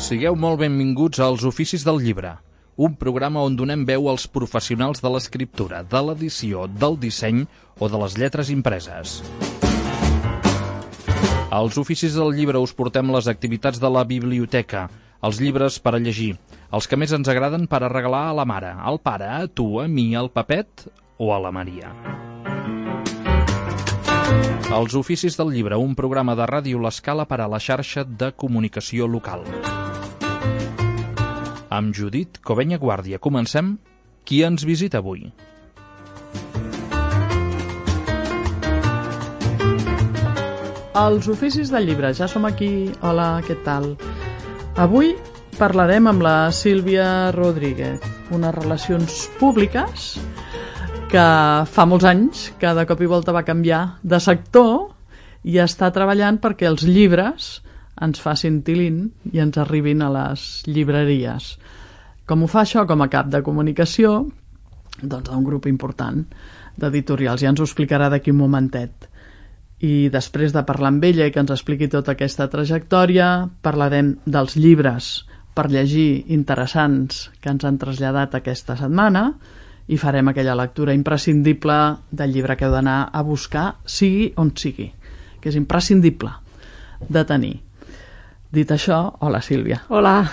Sigueu molt benvinguts als Oficis del Llibre, un programa on donem veu als professionals de l'escriptura, de l'edició, del disseny o de les lletres impreses. Als Oficis del Llibre us portem les activitats de la biblioteca, els llibres per a llegir, els que més ens agraden per a regalar a la mare, al pare, a tu, a mi, al Pepet o a la Maria. Els Oficis del Llibre, un programa de Ràdio L'Escala per a la xarxa de comunicació local. Amb Judit Covenya Guàrdia comencem. Qui ens visita avui? Els Oficis del Llibre, ja som aquí. Hola, què tal? Avui parlarem amb la Sílvia Rodríguez, unes relacions públiques que fa molts anys que de cop i volta va canviar de sector i està treballant perquè els llibres ens facin tilín i ens arribin a les llibreries. Com ho fa això com a cap de comunicació? Doncs d'un grup important d'editorials. Ja ens ho explicarà d'aquí un momentet. I després de parlar amb ella i que ens expliqui tota aquesta trajectòria, parlarem dels llibres per llegir interessants que ens han traslladat aquesta setmana i farem aquella lectura imprescindible del llibre que heu d'anar a buscar, sigui on sigui, que és imprescindible de tenir. Dit això, hola Sílvia. Hola,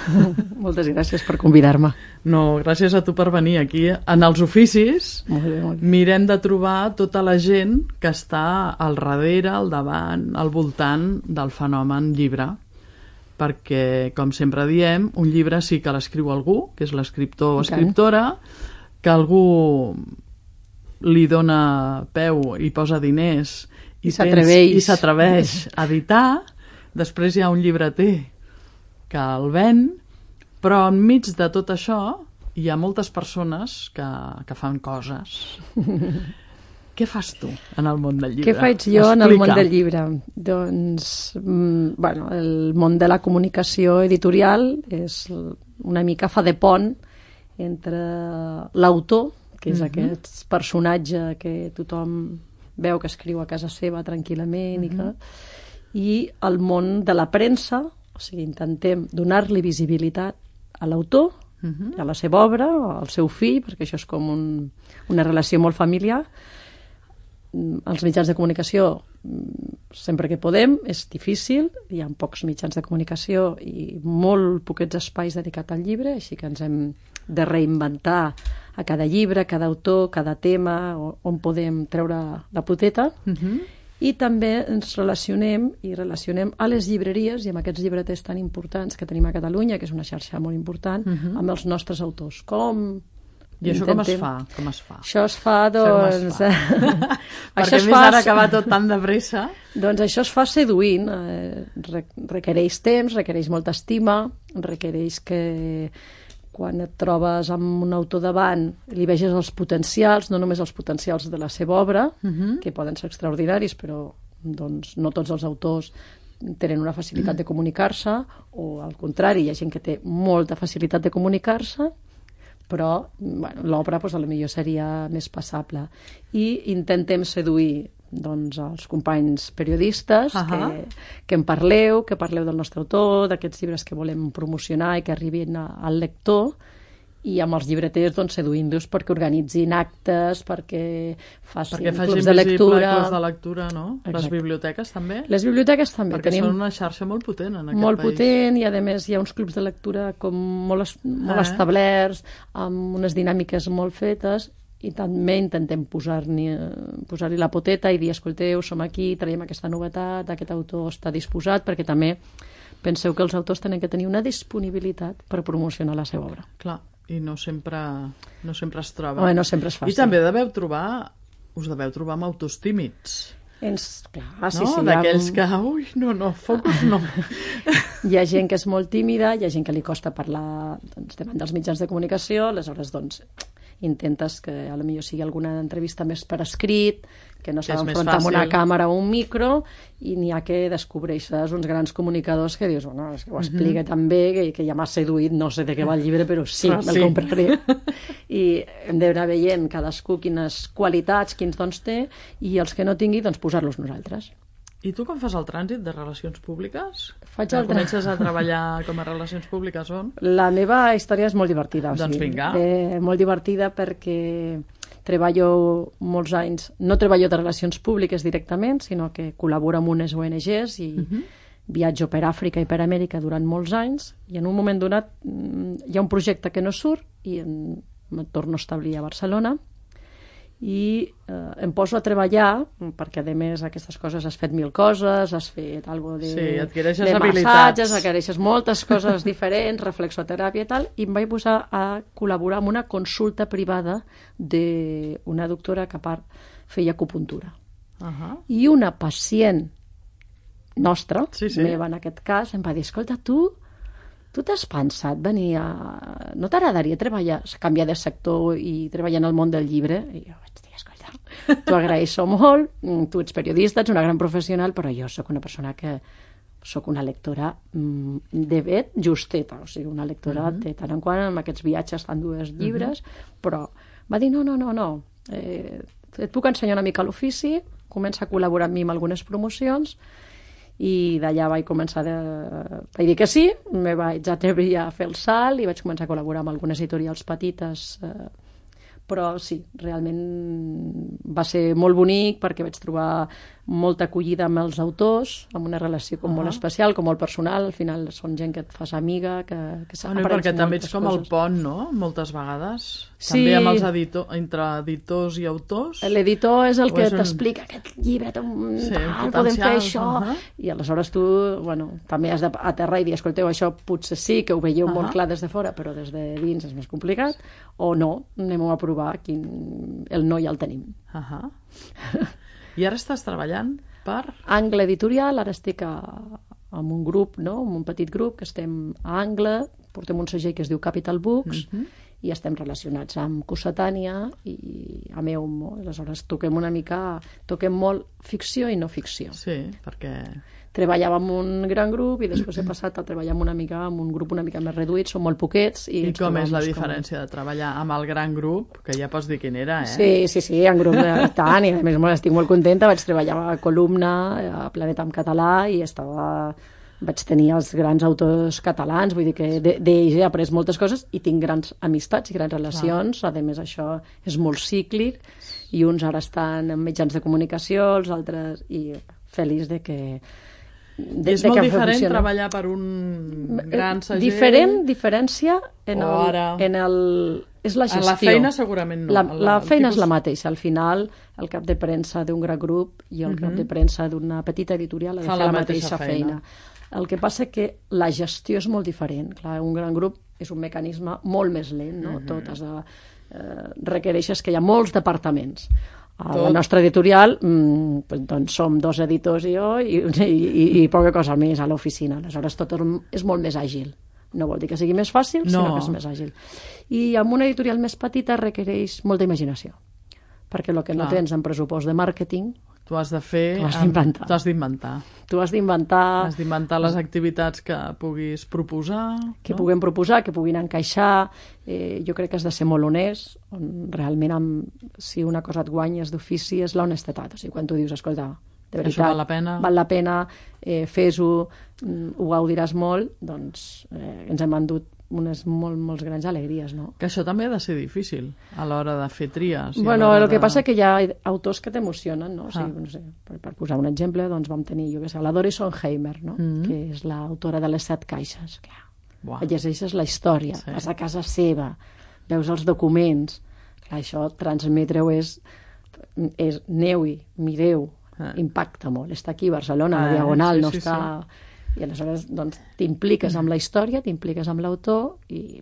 moltes gràcies per convidar-me. No, gràcies a tu per venir aquí. En els oficis molt bé. Mirem de trobar tota la gent que està al darrere, al davant, al voltant del fenomen llibre. Perquè, com sempre diem, un llibre sí que l'escriu algú, que és l'escriptor o escriptora, que algú li dona peu i posa diners i s'atreveix a editar. Després hi ha un llibreter que el ven, però enmig de tot això hi ha moltes persones que fan coses. Què fas tu en el món del llibre? Què faig jo en el món del llibre? Doncs, bueno, el món de la comunicació editorial és una mica fa de pont entre l'autor, que és aquest personatge que tothom veu que escriu a casa seva tranquil·lament i el món de la premsa, o sigui, intentem donar-li visibilitat a l'autor, a la seva obra, al seu fill, perquè això és com una relació molt familiar. Els mitjans de comunicació, sempre que podem, és difícil, hi ha pocs mitjans de comunicació i molt poquets espais dedicats al llibre, així que ens hem de reinventar a cada llibre, cada autor, cada tema, on podem treure la poteta. I també ens relacionem a les llibreries i amb aquests llibreters tan importants que tenim a Catalunya, que és una xarxa molt important, amb els nostres autors. I això com es fa? Això es fa, doncs... Perquè a més ara que va tot tan de pressa... Doncs això es fa seduint. Requereix temps, requereix molta estima, requereix que quan et trobes amb un autor davant li veges els potencials, no només els potencials de la seva obra, que poden ser extraordinaris, però doncs, no tots els autors tenen una facilitat de comunicar-se, o al contrari, hi ha gent que té molta facilitat de comunicar-se, però bueno, l'obra doncs, potser seria més passable. I intentem seduir doncs, els companys periodistes que en parleu, que parleu del nostre autor, d'aquests llibres que volem promocionar i que arribin al lector, i amb els llibreters doncs, seduint-los perquè organitzin actes, perquè facin clubs de lectura. Clubs de lectura, no? Exacte. Les biblioteques també? Les biblioteques també. Perquè són una xarxa molt potent en aquest país. Molt potent, i a més hi ha uns clubs de lectura com molt establerts, amb unes dinàmiques molt fetes, i també intentem posar-li la poteta i dir, escolteu, som aquí, traiem aquesta novetat, aquest autor està disposat, perquè també penseu que els autors tenen que tenir una disponibilitat per promocionar la seva obra. Clar, i no sempre es troba. No sempre és fàcil. I també us deveu trobar amb autors tímids. Clar, sí. D'aquells que, focus no. Hi ha gent que és molt tímida, hi ha gent que li costa parlar davant dels mitjans de comunicació, aleshores, doncs, intentes que potser sigui alguna entrevista més per escrit, que no s'ha d'enfrontar amb una càmera o un micro, i n'hi ha que descobreixes uns grans comunicadors que dius, bueno, és que ho explica tan bé que ja m'ha seduït, no sé de què va el llibre, però sí, me'l compraré. I hem d'anar veient cadascú quines qualitats, quins dons té, i els que no tingui, doncs posar-los nosaltres. I tu com fas el trànsit de relacions públiques? Faig el Comences a treballar com a relacions públiques on? La meva història és molt divertida. Doncs vinga. Molt divertida perquè treballo molts anys, no treballo de relacions públiques directament, sinó que col·laboro amb unes ONGs i viatjo per Àfrica i per Amèrica durant molts anys, i en un moment donat hi ha un projecte que no surt i em torno a establir a Barcelona i em poso a treballar, perquè a més aquestes coses has fet 1000 coses, has fet algo de, adquireixes de habilitats. massatges, adquireixes moltes coses diferents, reflexoteràpia i tal, i em vaig posar a col·laborar amb una consulta privada d'una doctora que a part feia acupuntura. I una pacient nostra, meva en aquest cas, em va dir, escolta, tu t'has pensat venir a... No t'agradaria canviar de sector i treballar en el món del llibre? I jo vaig dir, escolta, t'ho agraeixo molt, tu ets periodista, ets una gran professional, però jo sóc una persona que sóc una lectora de vet justeta, o sigui, una lectora de tant en quant amb aquests viatges fan 2 llibres, però va dir, no, et puc ensenyar una mica l'ofici, comença a col·laborar amb mi en algunes promocions, i d'allà vaig començar vaig dir que sí, me vaig atrevir a fer el salt i vaig començar a col·laborar amb algunes editorials petites, però sí, realment va ser molt bonic perquè vaig trobar molta acollida amb els autors, amb una relació com molt especial, com molt personal, al final són gent que et fas amiga, que s'aprens perquè també ets com el pont, no?, moltes vegades. També amb els entre editors i autors. L'editor és el que t'explica aquest llibre, podem fer això, i aleshores tu, també has d'aterrar i dir, escolteu, això potser sí que ho veieu molt clar des de fora, però des de dins és més complicat, o no, anem-ho a provar, el no ja el tenim. I ara estàs treballant per? Angle Editorial, ara estic amb un grup, amb un petit grup, que estem a Angle, portem un segell que es diu Capital Books, i estem relacionats amb Cossetània i amb Eumo. Aleshores toquem molt ficció i no ficció. Sí, perquè... Treballava amb un gran grup i després he passat a treballar amb un grup una mica més reduït, són molt poquets. I com és la diferència de treballar amb el gran grup, que ja pots dir quin era, eh? Sí, en grup de tant, i a més estic molt contenta, vaig treballar a Columna, a Planeta en català, i vaig tenir els grans autors catalans, vull dir que d'ells he après moltes coses i tinc grans amistats i grans relacions, a més això és molt cíclic, i uns ara estan en mitjans de comunicació, els altres, i feliç de que... És molt diferent treballar per un gran segell? Diferència és la gestió. La feina segurament no. La feina és la mateixa. Al final, el cap de premsa d'un gran grup i el cap de premsa d'una petita editorial ha de fer la mateixa feina. El que passa que la gestió és molt diferent. Clar, un gran grup és un mecanisme molt més lent, no? Tot requereixes que hi ha molts departaments. A la nostra editorial doncs som 2 editors i jo i poca cosa més a l'oficina. Aleshores tot és molt més àgil. No vol dir que sigui més fàcil, sinó que és més àgil. I amb una editorial més petita requereix molta imaginació, perquè el que no tens en pressupost de màrqueting tu has de fer... Tu has d'inventar. Tu has d'inventar les activitats que puguis proposar. Que puguem proposar, que puguin encaixar. Jo crec que has de ser molt honest. Realment, si una cosa et guanyes d'ofici és l'honestedat. O sigui, quan tu dius, escolta, de veritat, això val la pena, fes-ho, ho gaudiràs molt, doncs ens hem endut unes molts grans alegries, no? Que això també ha de ser difícil a l'hora de fer tries. El que passa que hi ha autors que t'emocionen, no? O sigui, no sé, per posar un exemple, doncs vam tenir, la Doris Sonheimer, no? Que és l'autora de les 7 caixes. Clar, llegeixes la història, vas a casa seva, veus els documents, clar, això transmetre-ho és aneu-hi, mireu, impacta molt. Està aquí a Barcelona, a Diagonal, no està... I aleshores doncs, t'impliques amb la història, t'impliques amb l'autor i,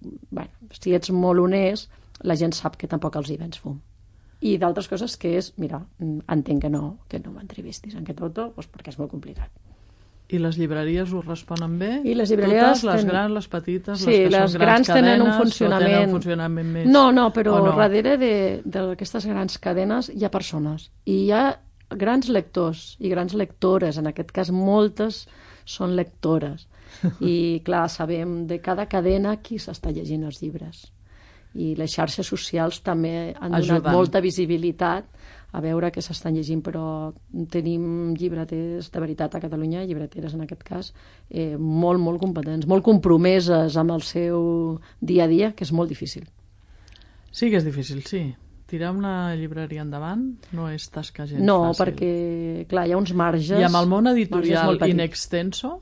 si ets molt honest, la gent sap que tampoc els hi vens fum. I d'altres coses que és, mira, entenc que no m'entrevistis en aquest autor, doncs perquè és molt complicat. I les llibreries ho responen bé? I les llibreries... Totes, les grans, les petites, sí, les grans cadenes, tenen un funcionament més... No, però darrere d'aquestes grans cadenes hi ha persones. I hi ha grans lectors i grans lectores, en aquest cas moltes són lectores. I, clar, sabem de cada cadena qui s'està llegint els llibres. I les xarxes socials també han donat molta visibilitat a veure què s'estan llegint, però tenim llibreters de veritat a Catalunya, llibreteres en aquest cas, molt, molt competents, molt compromeses amb el seu dia a dia, que és molt difícil. Sí que és difícil, sí. Tirar una llibreria endavant no és tasca gens no, fàcil. Perquè, clar, hi ha uns marges... I amb el món editorial in in extenso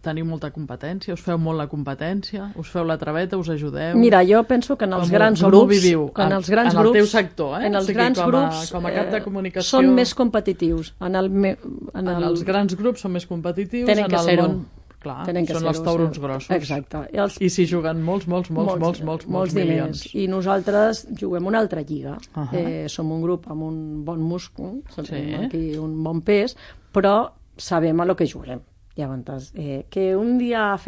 teniu molta competència, us feu molt la competència, us feu la traveta, us ajudeu... Mira, jo penso que en els grans com grups... viviu? En els grans en grups, el teu sector, en els grans grups com a cap de comunicació... són més competitius. En els grans grups són més competitius, tenen que ser-ho. Clar, tenen que són els taurons grossos. Exacte. I s'hi juguen molts diners. milions. I nosaltres juguem una altra lliga. Som un grup amb un bon múscul, aquí un bon pes, però sabem a lo que juguem. Llavors, que un dia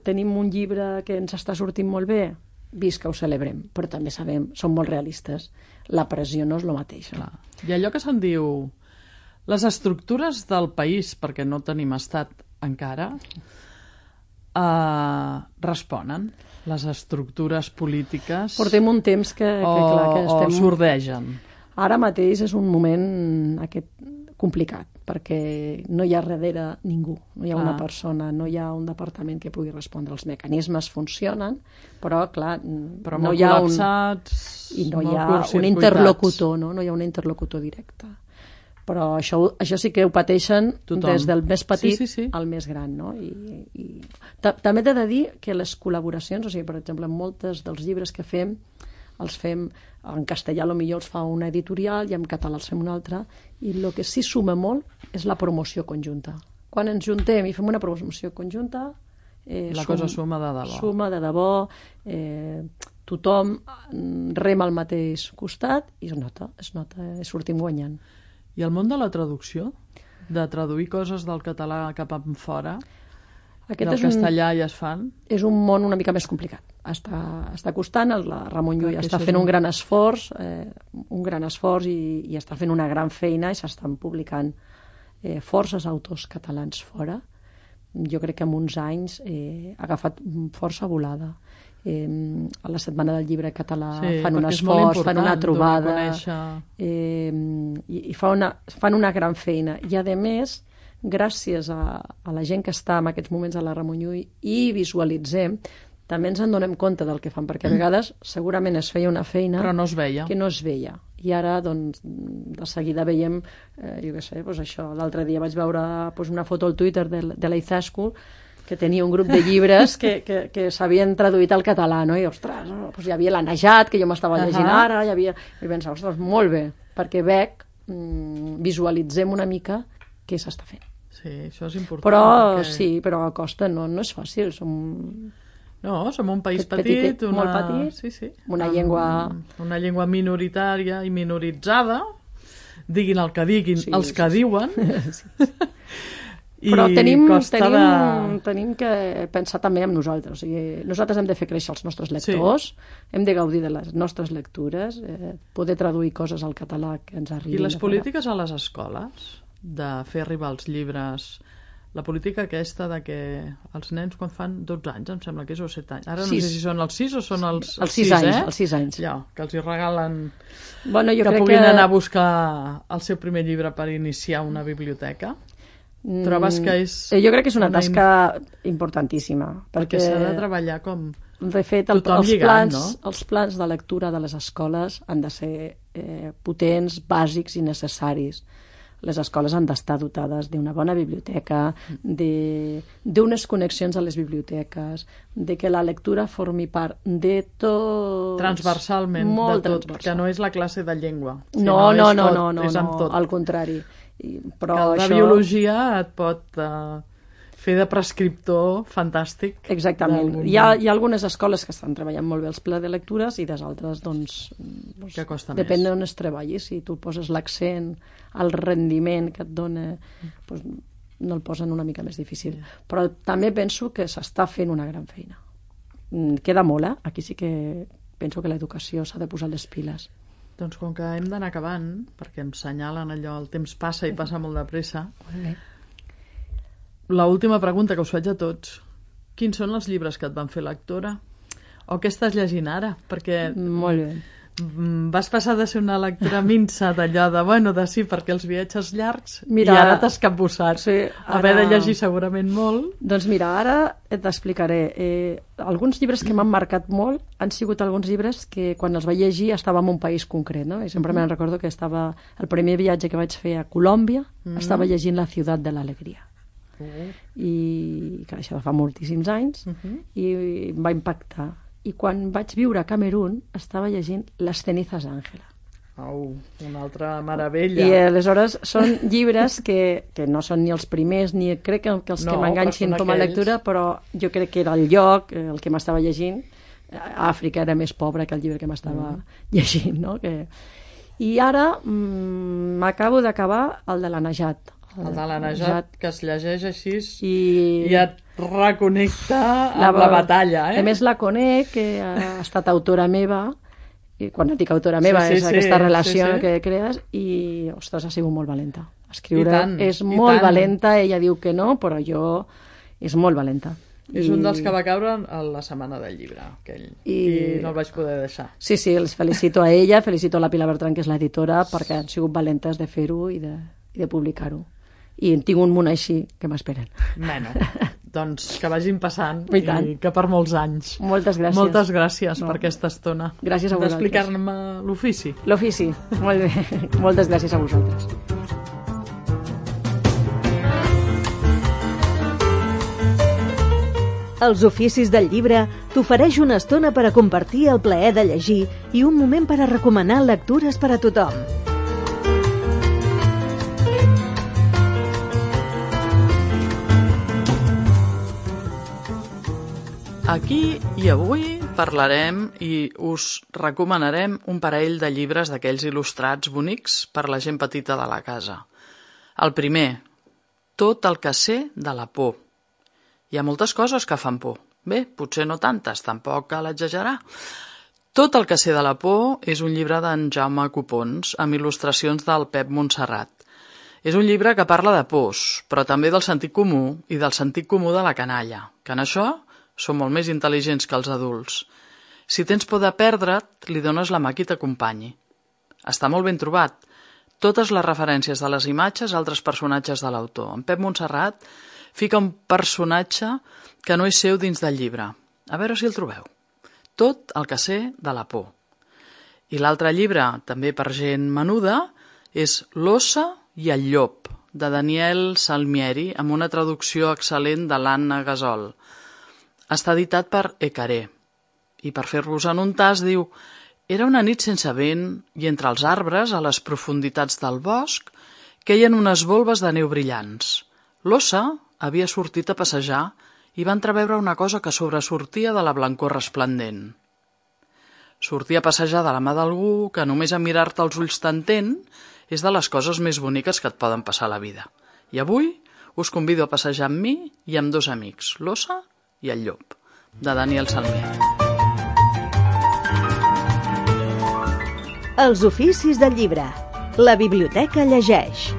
tenim un llibre que ens està sortint molt bé, visca, ho celebrem, però també sabem, som molt realistes, la pressió no és el mateix. Clar. I allò que se'n diu les estructures del país, perquè no tenim estat encara, responen les estructures polítiques portem un temps que estem... o sordegen. Ara mateix és un moment complicat, perquè no hi ha darrere ningú, no hi ha una persona, no hi ha un departament que pugui respondre. Els mecanismes funcionen, però clar, no hi ha un interlocutor, no hi ha un interlocutor directe. Però això sí que ho pateixen des del més petit al més gran, no? I també t'he de dir que les col·laboracions, o sigui, per exemple, molts dels llibres que fem, els fem en castellà, potser els fa una editorial i en català els fem una altra, i el que sí suma molt és la promoció conjunta. Quan ens juntem i fem una promoció conjunta... la cosa suma de debò. Suma de debò, tothom rema al mateix costat i es nota, sortim guanyant. I el món de la traducció? De traduir coses del català cap enfora? Del castellà ja es fan? És un món una mica més complicat. Està costant, la Ramon Llull està fent un gran esforç i està fent una gran feina i s'estan publicant forces autors catalans fora. Jo crec que en uns anys ha agafat força volada. A la Setmana del Llibre Català fan un esforç, fan una trobada i fan una gran feina. I a més, gràcies a la gent que està en aquests moments a la Ramon Llull i visualitzem, també ens en donem compte del que fan, perquè a vegades segurament es feia una feina però no es veia. Que no es veia. I ara, doncs, de seguida veiem, jo què sé, doncs això, l'altre dia vaig veure una foto al Twitter de l'Izaskun, que tenia un grup de llibres que s'havien traduït al català, no? I, ostres, doncs hi havia l'Anejat, que jo m'estava llegint ara, i pensava, ostres, molt bé, perquè veig, visualitzem una mica què s'està fent. Sí, això és important. Però perquè... sí, però a costa no és fàcil, som un país petit, molt petit, una llengua minoritària i minoritzada, diguin el que diguin, els que diuen. Però tenim que pensar també en nosaltres. O sigui, nosaltres hem de fer créixer els nostres lectors, hem de gaudir de les nostres lectures, poder traduir coses al català que ens arribin. I les polítiques a les escoles, de fer arribar els llibres, la política aquesta de que els nens quan fan 12 anys, em sembla que és, o 7 anys, ara no sé si són els 6 o són els 6 anys, els 6 anys. Ja, que els hi regalen que puguin anar a buscar el seu primer llibre per iniciar una biblioteca. Trobes que és... Jo crec que és una tasca importantíssima. Perquè s'ha de treballar com... De fet, els plans de lectura de les escoles han de ser potents, bàsics i necessaris. Les escoles han d'estar dotades d'una bona biblioteca, d'unes connexions a les biblioteques, de que la lectura formi part de tot... Transversalment, de tot, que no és la classe de llengua. No, al contrari. Però que la biologia et pot fer de prescriptor fantàstic. Exactament. Hi ha algunes escoles que estan treballant molt bé els plans de lectures i des altres, doncs que costa depèn més. d'on es treballi. Si tu poses l'accent al rendiment que et dona, doncs no el posen una mica més difícil. Però també penso que s'està fent una gran feina. Queda molt, Aquí sí que penso que l'educació s'ha de posar les piles. Doncs com que hem d'anar acabant, perquè em senyalen allò, el temps passa i passa molt de pressa. L'última pregunta que us faig a tots. Quins són els llibres que et van fer lectora? O què estàs llegint ara? Perquè molt bé. Vas passar de ser una lectora minsa d'allò de sí, perquè els viatges llargs, Mira, i ara t'has capbussat. sí, Haver de llegir segurament molt. Doncs mira, ara t'explicaré. Alguns llibres que m'han marcat molt han sigut alguns llibres que quan els vaig llegir estava en un país concret, no? I sempre me'n recordo que estava... El primer viatge que vaig fer a Colòmbia estava llegint La ciutat de l'alegria. I que això fa moltíssims anys i em va impactar. I quan vaig viure a Camerún estava llegint Les cenizas d'Àngela. Una altra meravella. I aleshores són llibres que no són ni els primers ni crec que els que m'enganxin com a lectura, però jo crec que era el lloc el que m'estava llegint. Àfrica era més pobra que el llibre que m'estava llegint, no? I ara m'acabo d'acabar el de la Najat. El de la Najat, que es llegeix així i et reconnecta amb la batalla. A més, la conec, que ha estat autora meva, i quan et dic autora meva és aquesta relació que crees, i, ostres, ha sigut molt valenta. Escriure és molt valenta, ella diu que no, però és molt valenta. És un dels que va caure a la setmana del llibre, aquell, i no el vaig poder deixar. Sí, els felicito a ella, felicito a la Pilar Bertran, que és l'editora, perquè han sigut valentes de fer-ho i de publicar-ho. I en tinc un munt així que m'esperen. Bueno, doncs que vagin passant i que per molts anys. Moltes gràcies. Moltes gràcies per aquesta estona. Gràcies a vosaltres. D'explicar-me l'ofici. L'ofici, molt bé. Moltes gràcies a vosaltres. Els oficis del llibre t'ofereix una estona per a compartir el plaer de llegir i un moment per a recomanar lectures per a tothom. Aquí i avui parlarem i us recomanarem un parell de llibres d'aquells il·lustrats bonics per la gent petita de la casa. El primer, Tot el que sé de la por. Hi ha moltes coses que fan por. Bé, potser no tantes, tampoc cal exagerar. Tot el que sé de la por és un llibre d'en Jaume Copons amb il·lustracions del Pep Montserrat. És un llibre que parla de pors, però també del sentit comú i del sentit comú de la canalla, que en això són molt més intel·ligents que els adults. Si tens por de perdre't, li dones la mà qui t'acompanyi. Està molt ben trobat. Totes les referències de les imatges a altres personatges de l'autor. En Pep Montserrat fica un personatge que no és seu dins del llibre. A veure si el trobeu. Tot el que sé de la por. I l'altre llibre, també per gent menuda, és L'ossa i el llop, de Daniel Salmieri, amb una traducció excel·lent de l'Anna Gasol. Està editat per Ecaré. I per fer-vos en un tas diu: era una nit sense vent i entre els arbres, a les profunditats del bosc, queien unes volves de neu brillants. L'ossa havia sortit a passejar i va entreveure una cosa que sobresortia de la blancor resplendent. Sortir a passejar de la mà d'algú que només a mirar-te els ulls t'entén és de les coses més boniques que et poden passar a la vida. I avui us convido a passejar amb mi i amb dos amics, l'ossa i el llop, de Daniel Salmieri. Els oficis del llibre. La biblioteca llegeix.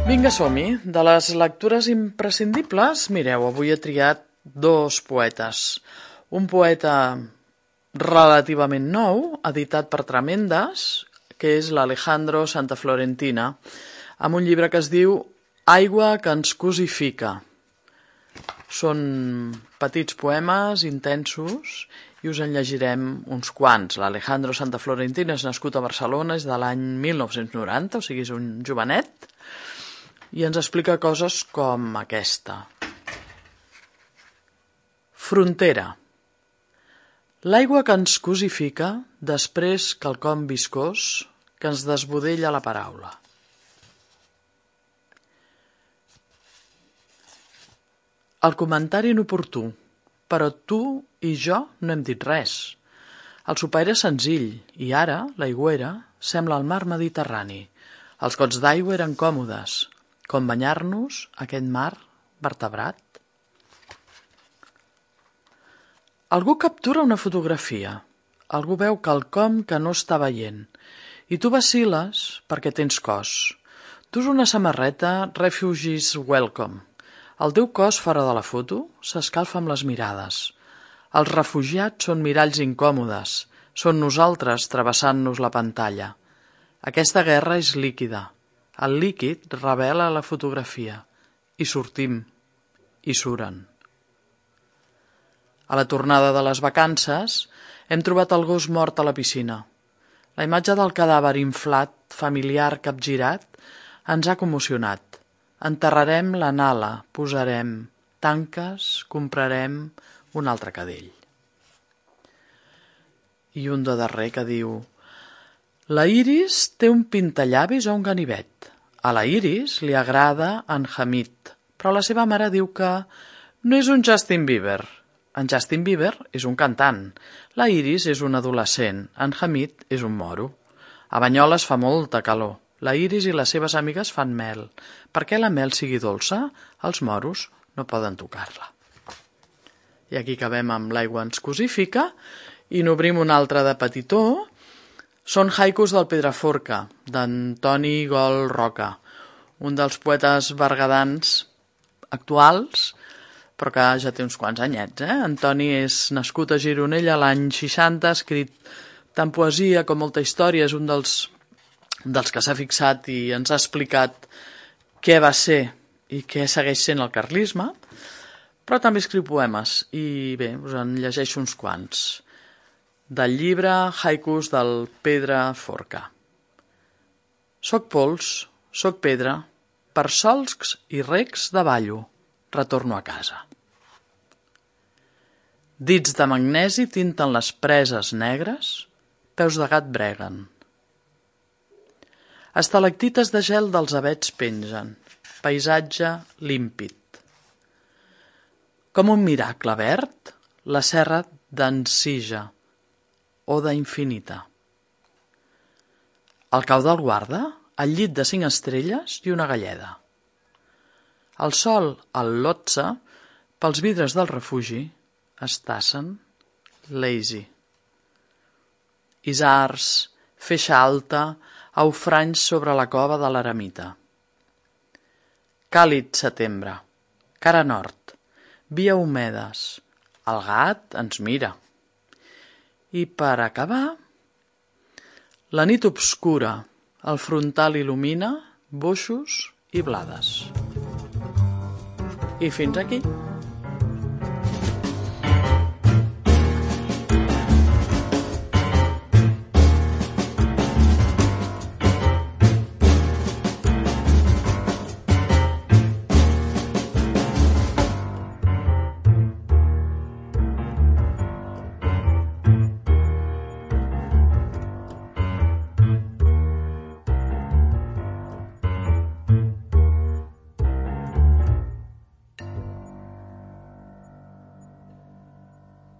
Vinga, som-hi. De les lectures imprescindibles, mireu, avui he triat dos poetes. Un poeta relativament nou, editat per Tremendes, que és l'Alejandro Santa Florentina, amb un llibre que es diu Aigua que ens cosifica. Són petits poemes intensos i us en llegirem uns quants. L'Alejandro Santa Florentina és nascut a Barcelona, és de l'any 1990, o sigui, és un jovenet, i ens explica coses com aquesta. Frontera. L'aigua que ens cosifica, després quelcom viscós que ens desbudella la paraula. El comentari inoportú, però tu i jo no hem dit res. El sopar era senzill i ara, l'aigüera, sembla el mar Mediterrani. Els gots d'aigua eren còmodes, com banyar-nos aquest mar vertebrat. Algú captura una fotografia, algú veu quelcom que no està veient, i tu vacil·les perquè tens cos. Dus una samarreta Refugees Welcome. El teu cos fora de la foto s'escalfa amb les mirades. Els refugiats són miralls incòmodes, són nosaltres travessant-nos la pantalla. Aquesta guerra és líquida. El líquid revela la fotografia. I sortim. I suren. A la tornada de les vacances hem trobat el gos mort a la piscina. La imatge del cadàver inflat, familiar, capgirat, ens ha commocionat. Enterrarem la nala, posarem tanques, comprarem un altre cadell. I un de darrer que diu: la Iris té un pintallavis o un ganivet. A la Iris li agrada en Hamid, però la seva mare diu que no és un Justin Bieber. En Justin Bieber és un cantant, la Iris és un adolescent, en Hamid és un moro. A Banyoles fa molta calor. La Iris i les seves amigues fan mel. Perquè la mel sigui dolça, els moros no poden tocar-la. I aquí acabem amb L'aigua ens cosifica i n'obrim un altre de petitó. Són haikus del Pedraforca, d'Antoni Gol Roca, un dels poetes berguedans actuals, però que ja té uns quants anyets. Antoni és nascut a Gironella l'any 60, ha escrit tant poesia com molta història, és un dels que s'ha fixat i ens ha explicat què va ser i què segueix sent el carlisme, però també escriu poemes i bé, us en llegeixo uns quants. Del llibre Haikus del Pedraforca. Soc pols, soc pedra, per solcs i recs davallo, retorno a casa. Dits de magnesi tinten les preses negres, peus de gat breguen. Estalactites de gel dels avets pengen, paisatge límpid. Com un miracle verd, la serra d'Ensija, oda infinita. Al cau del guarda, el llit de 5 estrelles i una galleda. El sol, al Lotsa, pels vidres del refugi, es tassen, lazy. Isars, feixa alta, aufranys sobre la cova de l'eremita. Càlid setembre, cara nord, via humedes, el gat ens mira. I per acabar, la nit obscura, el frontal il·lumina boixos i blades. I fins aquí.